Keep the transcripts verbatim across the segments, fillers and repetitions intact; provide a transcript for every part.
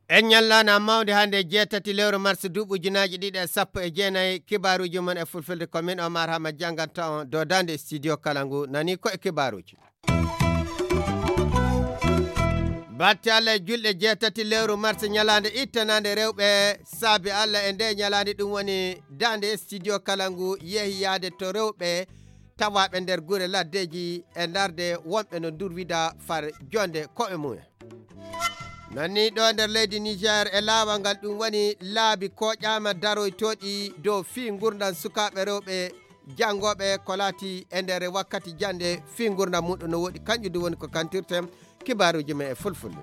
En ñallaana mawde hannde, jeetati lewru mars, duuɓi ujunaaji ɗiɗi e sappo e jeenayi. Kibaaruuji mon e fulfulde, ko min Omar Hama jannganta on dow daande studio kala ngu, nani ko e kibaaruuji. Batte Allah e julɗe, jeetati lewru mars, ñalaande ittanaande rewɓe, saabi Allah e nde ñalaande, ɗum woni daande studio kala ngu yehi yaade to rewɓe tawaaɓe nder gure laddeeji e ndarde wonɓe no durwida far jonde koɓe mumen. Nani ɗo nder leydi Niger e laawol ngal, ɗum woni laabi koƴaama daroytooɗi dow fii ngurdam sukaaɓe rewɓe janngooɓe ko laati e nder wakkati jannde fii ngurdam muɗum no woɗi, kanƴum du woni ko kantirten kibaaruuji men e fulfulde.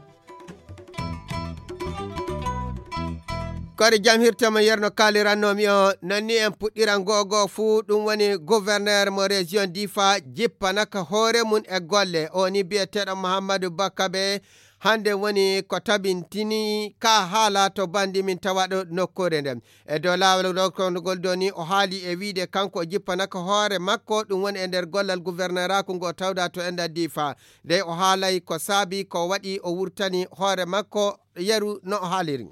Kadi jam hirtama yerno kaalirannoomi o, nanni en puɗɗiran gogo fuu, ɗum woni gouverneur mo région Difa jippana ka hoore mum e golle. O ni biyeteeɗo Mouhamadou Bakabe, hannde woni ko tabintini ka haala to banndi min tawaɗo nokkuure nden. E dow laawol ɗo kondugol doni, o haali e wiide kanko o jippana ka hoore makko, ɗum woni e nder gollal gouverneur-aaku ngo tawda to enda Difa. Dey o haalay ko saabi ko waɗi o wurtani hoore makko yeru no o haaliri.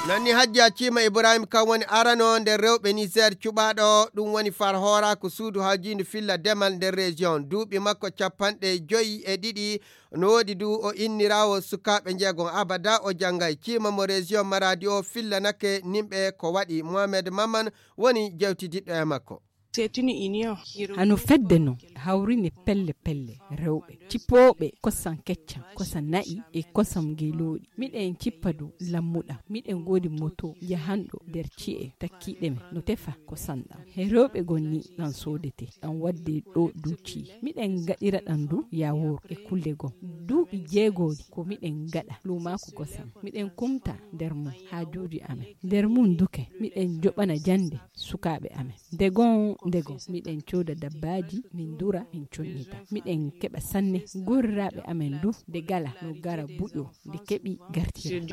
Nanni Hajja Cima Ibrahim, kan woni arano nder rewɓe Niger cuɓaaɗo, ɗum woni far hooraaku suudu hawjiindu filla demal nder région. Duuɓi makko capanɗe joyi e ɗiɗi no woodi du, o inniraawo sukaaɓe njeegon abada o janngay. Cima mo région Maradi o fillanake nimɓe ko waɗi. Mohamed Maman woni jewtidiɗɗo e makko. Hano fedde no hawrine pelle pelle rewɓe cippooɓe kosam keccan, kosam na'i e kosam ngeelooɗi. Miɗen cippa dow lammuɗam. Miɗen ngoodi moto jahanɗo nder ci'e takkiiɗe men no tefa kosam ɗam. He rewɓe gon ni ɗam soodete, ɗam wadde ɗo dow ci'e. Miɗen ngaɗira ɗam du yawoor e kulle gom. Duuɓi jeegoori ko miɗen ngaɗa luumaaku kosam. Miɗen kumta nder mum haajuuji amen. Nder mum duke miɗen joɓana jannde sukaaɓe amen. Ndegon ndegon miɗen cooda dabbaaji, min dura, min connita. Miɗen keɓa sanne. Goriraaɓe amen du nde gala no gara buƴo nde keɓi gartira.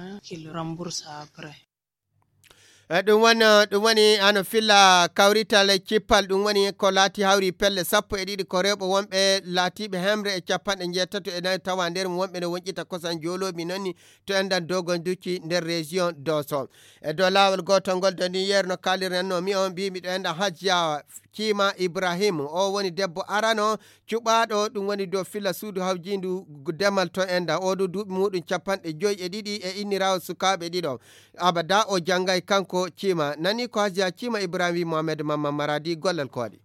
E ɗum woni, ɗum woni hano filla kawrital e cippal, ɗum woni ko laati hawri pelle sappo e ɗiɗi ko rewɓe wonɓe laatiiɓe hemre e capanɗe njeetato e nayi, tawa nder mum wonɓe no woñƴita kosam jooloomi noon ni to enɗan Dogon Ducci nder région Doso. E dow laawol gootol ngol doni yeru no kaalirnanno mi on, mbimi ɗo enɗan Hajja Cima Ibrahim, o woni debbo arano cuɓaaɗo, ɗum woni dow filla suudu hawjiindu demal to enɗan. O ɗo duuɓi muɗum capanɗe joyi e ɗiɗi e inniraawo sukaaɓe ɗiɗo. Abada o janngay kanko Cima. Nani ko Hajja Cima Ibrahim wi Mohamed Mamman Maradi gollal ko waɗi.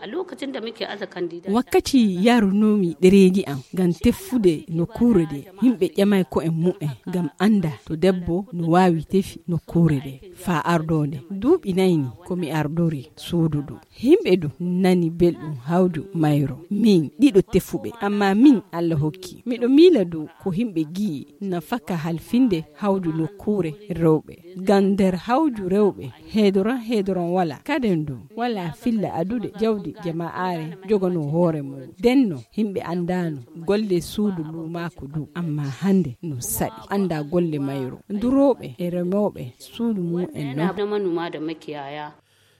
A lokacin da muke aza kandida. Wakkati yarunoomi ɗereeji am ngam teffude nokkuure nde, yimɓe ƴamay ko'en mumen ngam annda to debbo no waawi tefi nokkuure nde faa ardoonde. Duuɓi nayi ni ko mi ardori suudu ndu. Yimɓe du nani belɗum hawju mayro. Min ɗiɗo tefuɓe, ammaa min Allah hokki. Miɗo miila du ko yimɓe gi'i nafaka halfinde hawju nokkuure rewɓe. Ngam nder hawju rewɓe, heedoran heedoran walaa. Kaden du, walaa filla adude jawdi jama'aare joganoo hoore mum. Denno, yimɓe anndaano golle suudu luumaaku du, ammaa hannde no saɗi. Anndaa golle mayro, durooɓe e remooɓe suudu mum en non. Manoma da makiyaya.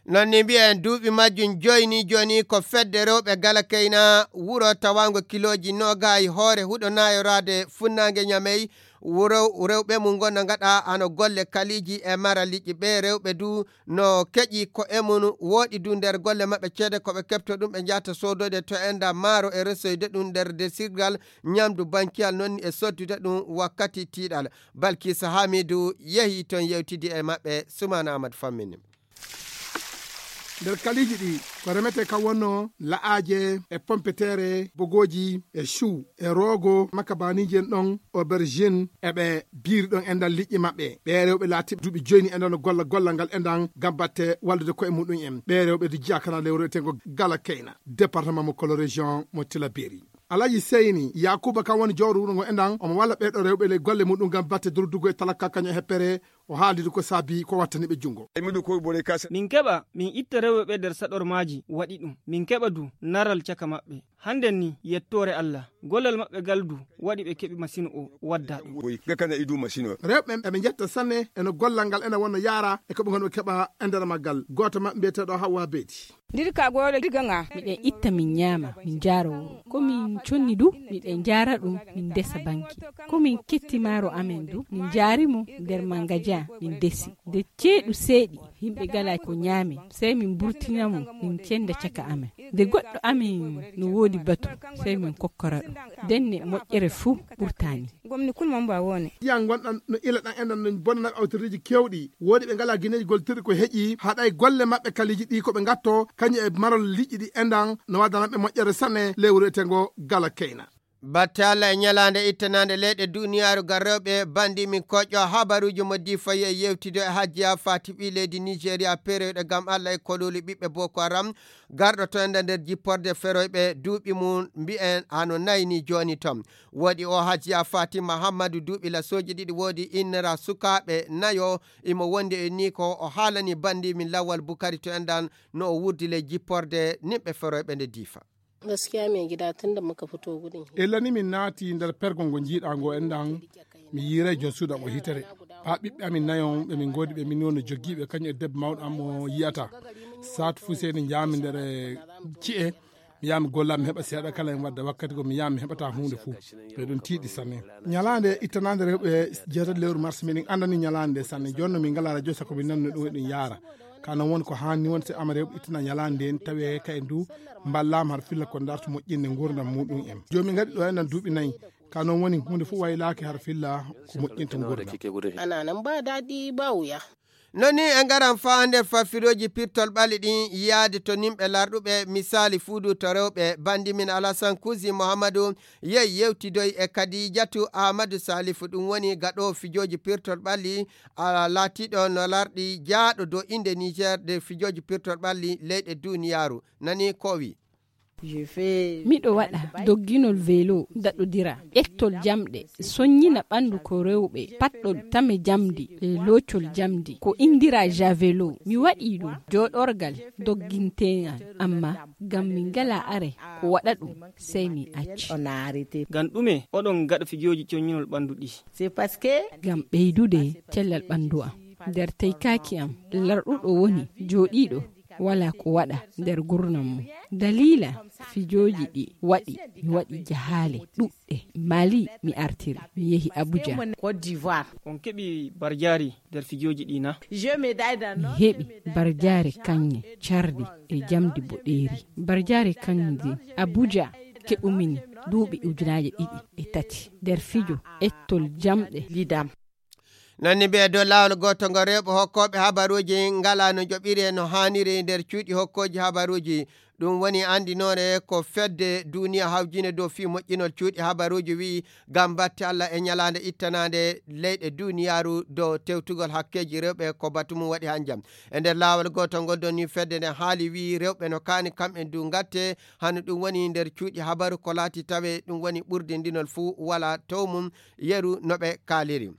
Noon ni mbiyen duuɓi majjum jooni, jooni ko fedde rewɓe Galakeyna wuro tawaango kilooji noogaayi hoore huɗo naayoraade funnaange Ñamey. Wuro rewɓe mum ngon no ngaɗa hano golle kaliiji e mara liƴƴi. Ɓee rewɓe du no keƴi ko e mum wooɗi du nder golle maɓɓe ceede ko ɓe keɓto ɗum ɓe njahta soodoyde to enda maaro e resoyde ɗum nder desirgal ñamdu bankiyal noon e soddude ɗum wakkati tiiɗal. Balkisa Hamidu yehi toon yewtidi e maɓɓe. Sumaana Ahmad fammini. Nder kaliiji ɗi ko remetee kam wonno la'aaje e pompeteere, bogooji e chou e roogo, makabaniiji en ɗon, aubergine, e ɓe biiri ɗon enɗan liƴƴi maɓɓe. Ɓee rewɓe laatiiɓe duuɓi joyi ni enɗan no golla gollal ngal enɗan ngam batte wallude ko'e muɗum en. Ɓee rewɓe du jiyaa kana lewru eteengo Galakeyna, département mo Kolo, région mo Tillabéri. Alhaji Seyni Yaakuuba kam woni jooɗo wuro ngo enɗan, omo walla ɓee ɗo rewɓe ley golle muɗum ngam batte durdugol e talaka kañum e heppere O haaldi ko saabi ko wattani ɓe junngo. Min keɓa, min itta rewɓe ɓe nder saɗormaaji, waɗi ɗum. Min keɓa du naral caka maɓɓe. Hannden ni, yettoore Allah, gollal maɓɓe ngal du waɗi ɓe keɓi masino o wadda ɗum. Rewɓe ɓe, ɓe njetta sanne e no gollal ngal ena wonno yaara e ko ɓe ngonno keɓa e nder maggal. Gooto maɓɓe mbiyeteeɗo Hawwa Beedi. Ndir ka goole diga nga. Miɗen itta min ñaama, min njaara wuro. Ko min conni du, miɗen njaara ɗum, min ndesa banki. Ko min ketti maaro amen du, min njaari mo nder mangaja, min ndesi. Nde ceeɗu seeɗi, yimɓe gala ko ñaame, sey min mburtina mo, min cenda caka amen. Nde goɗɗo amen no woodi batu, sey min kokkora ɗum. Ndenne moƴƴere fuu ɓurtaani. Gomni kulma mba wone. Yan gonɗan no ila ɗan enɗan no bonana awtoriji kewɗi. Woodi ɓe ngala gineji goltirɗi ko heƴi, haɗay golle maɓɓe kaliji ɗi ko ɓe ngatto, kañum e marol liƴƴi ɗi enɗan no wadana ɓe moƴƴere sanne lewru etengo gala keyna. Batte Allah e ñalaande ittanaande leyɗe duniyaaru ga rewɓe bandi min koƴƴo habaruuji mo difayi e yewtido e hajjiya fati ɓi leydi Nigeria peroyɗo gam Allah e kololi ɓiɓɓe Boko Haram garɗo to enda nder jipporde feroyɓe duuɓi mum mbi'en hano nayni jooni ton. Woodi o hajjiya Fatima Hammadu duuɓi lasooji ɗiɗi, woodi innira sukaaɓe nayo imo wondi e ni ko o haalani bandi min Lawal Bukari to endan no o wurdi ley jipporde nimɓe feroyɓe nde difa. Gaskiya mai gida tun da muka fito gudun hijira. Ella ni min naati nder pergol ngo njiiɗaa ngo enɗan, mi yiiray jon suudu am o hitere. Haa ɓiɓɓe amin nayo ɓe min ngoodi ɓe min woni jogiiɓe kañum e debbo mawɗo am mo yi'ata. Saatu fuu sey en njaami nder ci'e, mi yaha mi golla mi heɓa seeɗa kala en wadda wakkati ko mi yaha mi heɓata huunde fuu. Ɓe ɗon tiiɗi sanne. Ñalaande ittanaande rewɓe jeetati lewru mars, miɗen anndani ñalaande nde sanne. Jooni no min ngalaa radio sako min nanno ɗum eɗum yaara. Ka non woni ko haanni won si ama rewɓe ittana ñalaande nden tawi ka en du mballaama har filla ko darto moƴƴinde nguurndam muɗum en. Jooni min ngaɗi ɗo enɗan duuɓi nayi. Ka non woni huunde fof waylaaki har filla ko moƴƴinta nguurndam. Ana nan ba daɗi ba wuya. No ni e ngaran faa nder fafirooji pirtol ɓalli ɗin yaade to nimɓe larɗuɓe misaali fuudu to rewɓe. Bandi min Alasan Kusi Muhammadu yehi yewtidoy e Kadijatu Ahmadu Salifu, ɗum woni gaɗoowo fijooji pirtol ɓalli a laatiiɗo no larɗi jaaɗo dow innde Niger nder fijooji pirtol ɓalli leyɗe duniyaaru. Nani ko o wi. Miɗo waɗa dogginol velo, daɗodira, ƴettol jamɗe, soññina ɓanndu ko rewɓe, paɗɗol tame jamdi e loocol jamdi, ko indira javelo. Mi waɗii ɗum jooɗorgal dogginteengal, amma ngam min ngalaa are ko waɗa ɗum, sey min acci. Ngam ɗume oɗon ngaɗa fijooji coññinol ɓanndu ɗi? Ngam ɓeydude cellal ɓanndu am. Nder teykaaki am, larɗuɗo woni jooɗiiɗo walaa ko waɗa nder gurnam mum. Daliila fijooji ɗi waɗi, mi waɗi jahaale ɗuɗɗe. Mali mi artiri, mi yehi Abuja. On keɓi barjaari nder fijooji ɗi na? Mi heɓi barjaare kaŋŋe cardi e jamdi boɗeeri. Barjaare kaŋŋe ndin Abuja keɓumini duuɓi ujunaaje ɗiɗi e tati nder fijo ettol jamɗe lidam. Nanni ɓe dow laawol gooto ngo rewɓe hokkooɓe habaruuji ngalaa no njoɓiri e no haaniri nder cuuɗi hokkooji habaruuji. Ɗum woni anndinoore ko fedde duuniya hawjine dow fii moƴƴinol cuuɗi habaruuji wi'i ngam batte Allah e ñalaande ittanaande leyɗe duuniyaaru dow tewtugol hakkeeji rewɓe ko batu mum waɗi hanjam. E nder laawol gooto ngol ɗon ni fedde nden haali wi'i rewɓe no kaani kamɓe du ngatte hano ɗum woni nder cuuɗi habaru ko laati tawe ɗum woni ɓurdindinol fuu walaa tow mum yeru no ɓe kaaliri.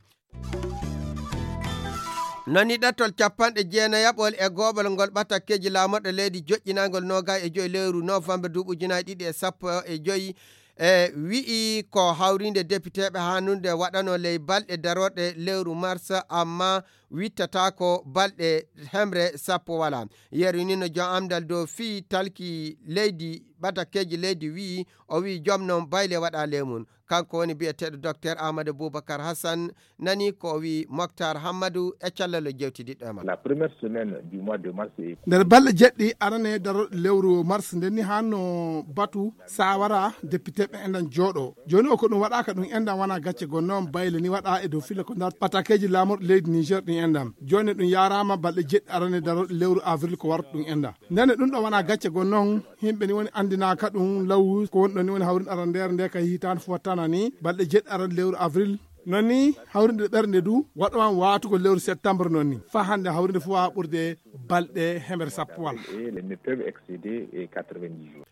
Nani ɗattol capanɗe jeenayaɓol e go'oɓol ngol ɓatakkeeji laamorɗe leydi joƴƴinangol noogay e joyi lewru novembre duuɓi ujunaaji ɗiɗi e sappo e joyi e wi'i ko hawrinde depiteeɓe haanunde waɗano ley balɗe darorɗe lewru mars, amma wittataako balɗe hemre sappo walaa. Yeru ni no jom amdal dow fii talki leydi ɓatakkeeji leydi wi'i, o wi'i jom non bayle waɗa ley mum. Kanko woni bi'eteeɗo Docteur Amadou Boubacar Hassan, nani ko o wi'i Moctar Hammadou e callal o jewtidiɗɗo e makko. La première semaine du mois de mars est Nder balɗe jeɗɗi arane daro lewru mars nden ni hanno batu sawara depiteɓe enɗan jooɗo. Jooni o ko ɗum waɗaaka ɗum enɗan wona gacce gonno on bayle ni waɗa e dow filla ko ndar patakeeji laamorɗo leydi Niger ɗin enɗan. Jooni ɗum yaaraama balɗe jeɗɗi arane daro lewru avril ko warta ɗum enɗan. Ndene ɗum ɗo wona gacce gonno on. Yimɓe ni woni anndinaaka ɗum law ko woni ɗon ni woni hawrinde arandeere nde ka hitaande fof wattana ni balɗe jeɗɗi aran lewru avril. Non ni hawrinde ɓernde du waɗo an waatugo lewru septembre non ni. Faa hannde hawrinde fof waawa ɓurde balɗe hemere sappo wala. Et ne peuvent excéder, eh, quatre-vingt-dix jours.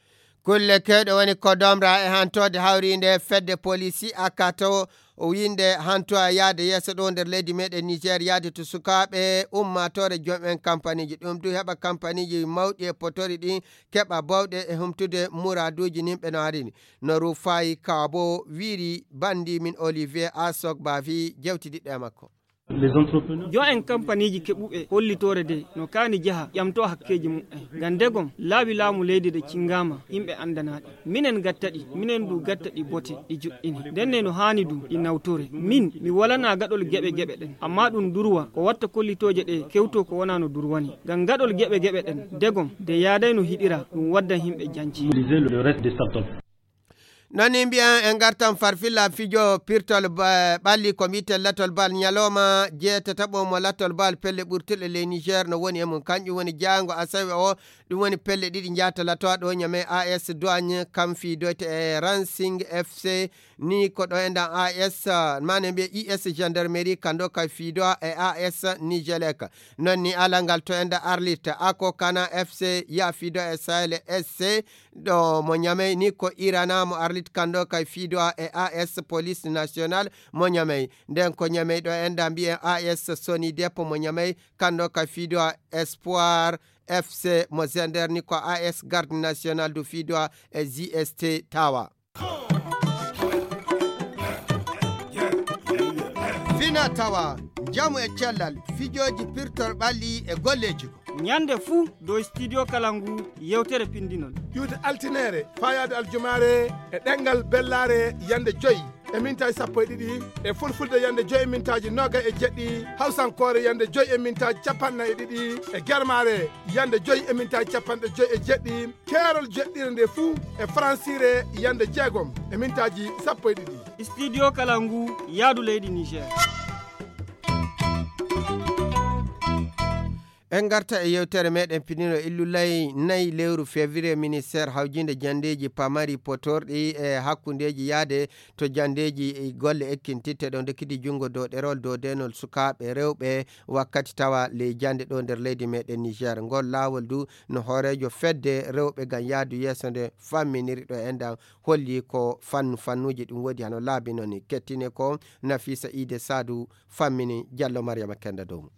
Kulle kewɗe woni ko domra e hantoode hawriinde fedde polisi akato o winnde hanto a yaade yeeso ɗo nder leydi meɗen Niger, yaade to sukaaɓe ummaatoore joom en kampaniji. Ɗum du heɓa kampaniji mawɗi e potori ɗi keɓa bawɗe e humtude muraduji nimɓe no harini. No Rufai Kabo wiri bandi min Olivier Asok Bavi jewtidiɗɗo e makko. Joom en kampaniji keɓuɓe hollitoore de no kaani jaha ƴamto hakkeji mumen. Ngam ndegom laabi laamu leydi de cingama, yimɓe andanaɗi. Minen gattaɗi, minen du gattaɗi bote, ɗi juɗɗini. Ndenne no haani du ɗi nawtore. Min, mi walana gaɗol geɓe geɓe ɗen. Amma ɗum durwa, ko watta kollitooje ɗe kewto ko wona no durwani. Ngam gaɗol geɓe geɓe ɗen, ndegom, de yaaday no hiɗira, ɗum waddan yimɓe janci. Noon ni mbiyan en ngartan farfilla fijo pirtol ba-, ɓalli ko mbi'eten latol bal ñalawma jeetataɓo mo latol bal pelle ɓurtuɗe ley Niger no woni e mum. Kanƴum woni jaango asawe o, ɗum woni pelle ɗiɗi njaata latoa ɗo ñame A S Douane kam fiidoyte e Racing F C, ni ko ɗo endan A S, mane mbiye I S gendarmerie kando kay fiidoa e A S Nigelec. Noon ni alangal to enda Arlit, Ako Kana F C ya fiidoa e Sahel S C, ɗo mo ñamey ni ko Irana mo Arlit kando kay fiidoa e A S Police National mo ñamey. Nden ko ñamey ɗo enda mbiyen A S Sony Depot mo ñamey kando kay fiidoa Espoir F C mo Zender ni ko A S Garde National du fiidoa e G S T Tawa. Fina tawa, njamu e cellal, fijooji pirtor ɓalli e golleeji ko. Ñande fuu dow Studio Kalangu yewtere pindinol. Ƴuwde altineere, faayaade aljumaare e ɗemngal bellaare yande joy e mintaaji sappo e ɗiɗi, e fulfulde yande joy e mintaaji noogay e jeɗɗi, hawsankoore yande joy e mintaaji capanɗe nayi e ɗiɗi, e germaare yande joy e mintaaji capanɗe joy e jeɗɗi, keerol jeɗɗire nde fuu e faransiire yande jeegom e mintaaji sappo e ɗiɗi. Studio Kalangu, yaadu leydi Niger. En ngarta e yewtere meɗen pinino illulay nayi lewru février, ministère hawjinde jandeeji pamari potorɗi e hakkundeeji yaade to jandeeji e golle ekkintitte ɗo ndekkidi junngo dow ɗerol dow denol sukaaɓe rewɓe wakkati tawa ley jannde ɗo nder leydi meɗen Niger. Ngol laawol du no hooreejo fedde rewɓe ngam yaadu yeeso nde famminiri ɗo enɗam holli ko fannu fannuji ɗum woodi hano laabi noon ni. Kettine ko Nafisa Ide Sadu fammini Jallo Mariama Kenda dow mum.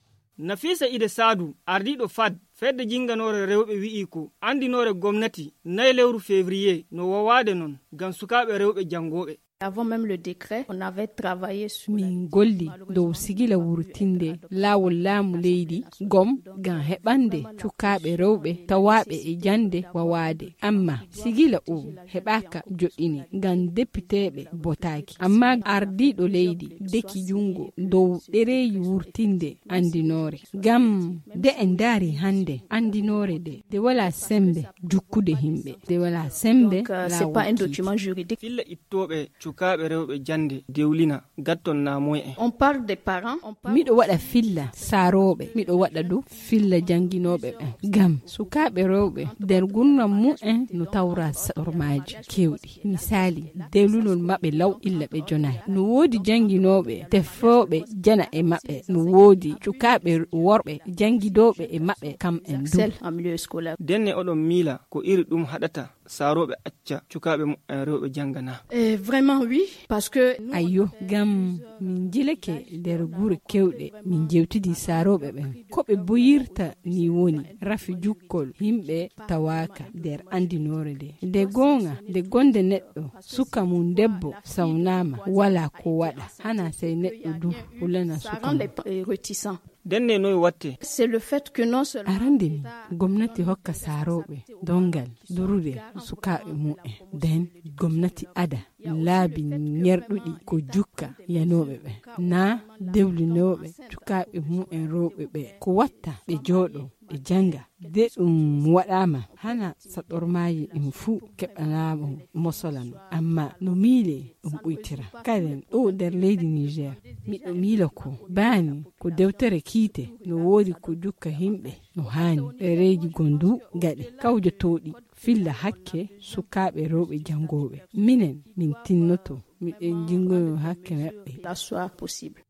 Nafisa Ide Sadu, ardiiɗo fad, fedde jinnganoore rewɓe wi'i ko anndinoore gomnati nayi lewru février no wawaade noon ngam sukaaɓe rewɓe janngooɓe. Avant même le décret, on avait travaillé sur la... Min golli dow sigila wurtinde laawol laamu leydi gom ngam heɓande cukaaɓe rewɓe tawaaɓe e jannde wawaade. Amma sigila o heɓaaka joɗɗini ngam depiteeɓe botaaki. Amma ardiiɗo leydi deki junngo dow ɗereeji wurtinde anndinoore. Ngam nde en ndaari hannde anndinoore nde, nde wala sembe jukkude himɓe, nde wala sembe... Donc, euh, c'est pas un document juridique. Filla ittooɓe cukaaɓe rewɓe jannde dewlina gatton naamoy en. On parle des parents, on parle... Miɗo waɗa filla saarooɓe, miɗo waɗa du filla jannginooɓe ɓen. Ngam sukaaɓe rewɓe nder gurnam mumen no tawra saɗormaaji keewɗi. Misaali, dewlunol maɓɓe law illa ɓe jonaay. No woodi jannginooɓe tefooɓe jana e maɓɓe. No woodi cukaaɓe worɓe janngidooɓe e maɓɓe kam en du. Excel en milieu scolaire. Denne oɗon miila ko iri ɗum haɗata saarooɓe acca cukaaɓe mumen rewɓe jannga na? Eh, vraiment, oui, parce que nous... Ayyo, ngam min njilake nder gure kewɗe, min jewtidi saarooɓe ɓen. Ko ɓe boyirta ni woni rafi jukkol yimɓe tawaaka nder anndinoore nde. Nde goonga, nde gonde neɗɗo, suka mum debbo sawnaama, wala ko waɗa, hana sey neɗɗo du hulana suka mum. Denne noy watte? C'est le fait que non seulement... Arande mi, gomnati hokka saarooɓe dongal durude sukaaɓe mumen. Den gomnati ada laabi ñerɗuɗi ko jukka yanooɓe ɓen, naa dewlinooɓe cukaaɓe mumen rewɓe ɓe, ko watta ɓe jooɗo ɓe jannga. De ɗum waɗaama, hana saɗormaaji ɗin fuu keɓanaama mosola no, amma no miile ɗum ɓuytira. Kaden ɗo nder leydi Niger, miɗo miila ko baani ko dewtere kiite, no woodi ko jukka yimɓe no haani. Ɗereeji goo ndu gaɗe kawjotooɗi filla hakke sukaaɓe rewɓe janngooɓe. Minen, min tinnoto, miɗen jinngoyo hakke maɓɓe. La soit possible.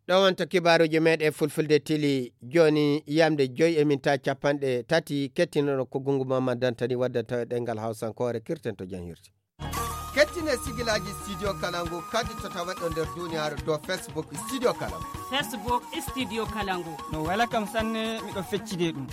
Ɗo wonto kibaaruuji meeɗen fulfulde tili jooni yamde joyi e minta capanɗe tati, kettinoɗo ko Gungu Mamman Dantani waddata ɗengal Hausankoore, kirten to janhirti. Kettine sigilaaji Studio Kalangu kadi to tawaɗo nder duniyaaru dow Facebook Studio Kalangu. Facebook Studio Kalangu. No wela kam sanne, miɗo feccide ɗum.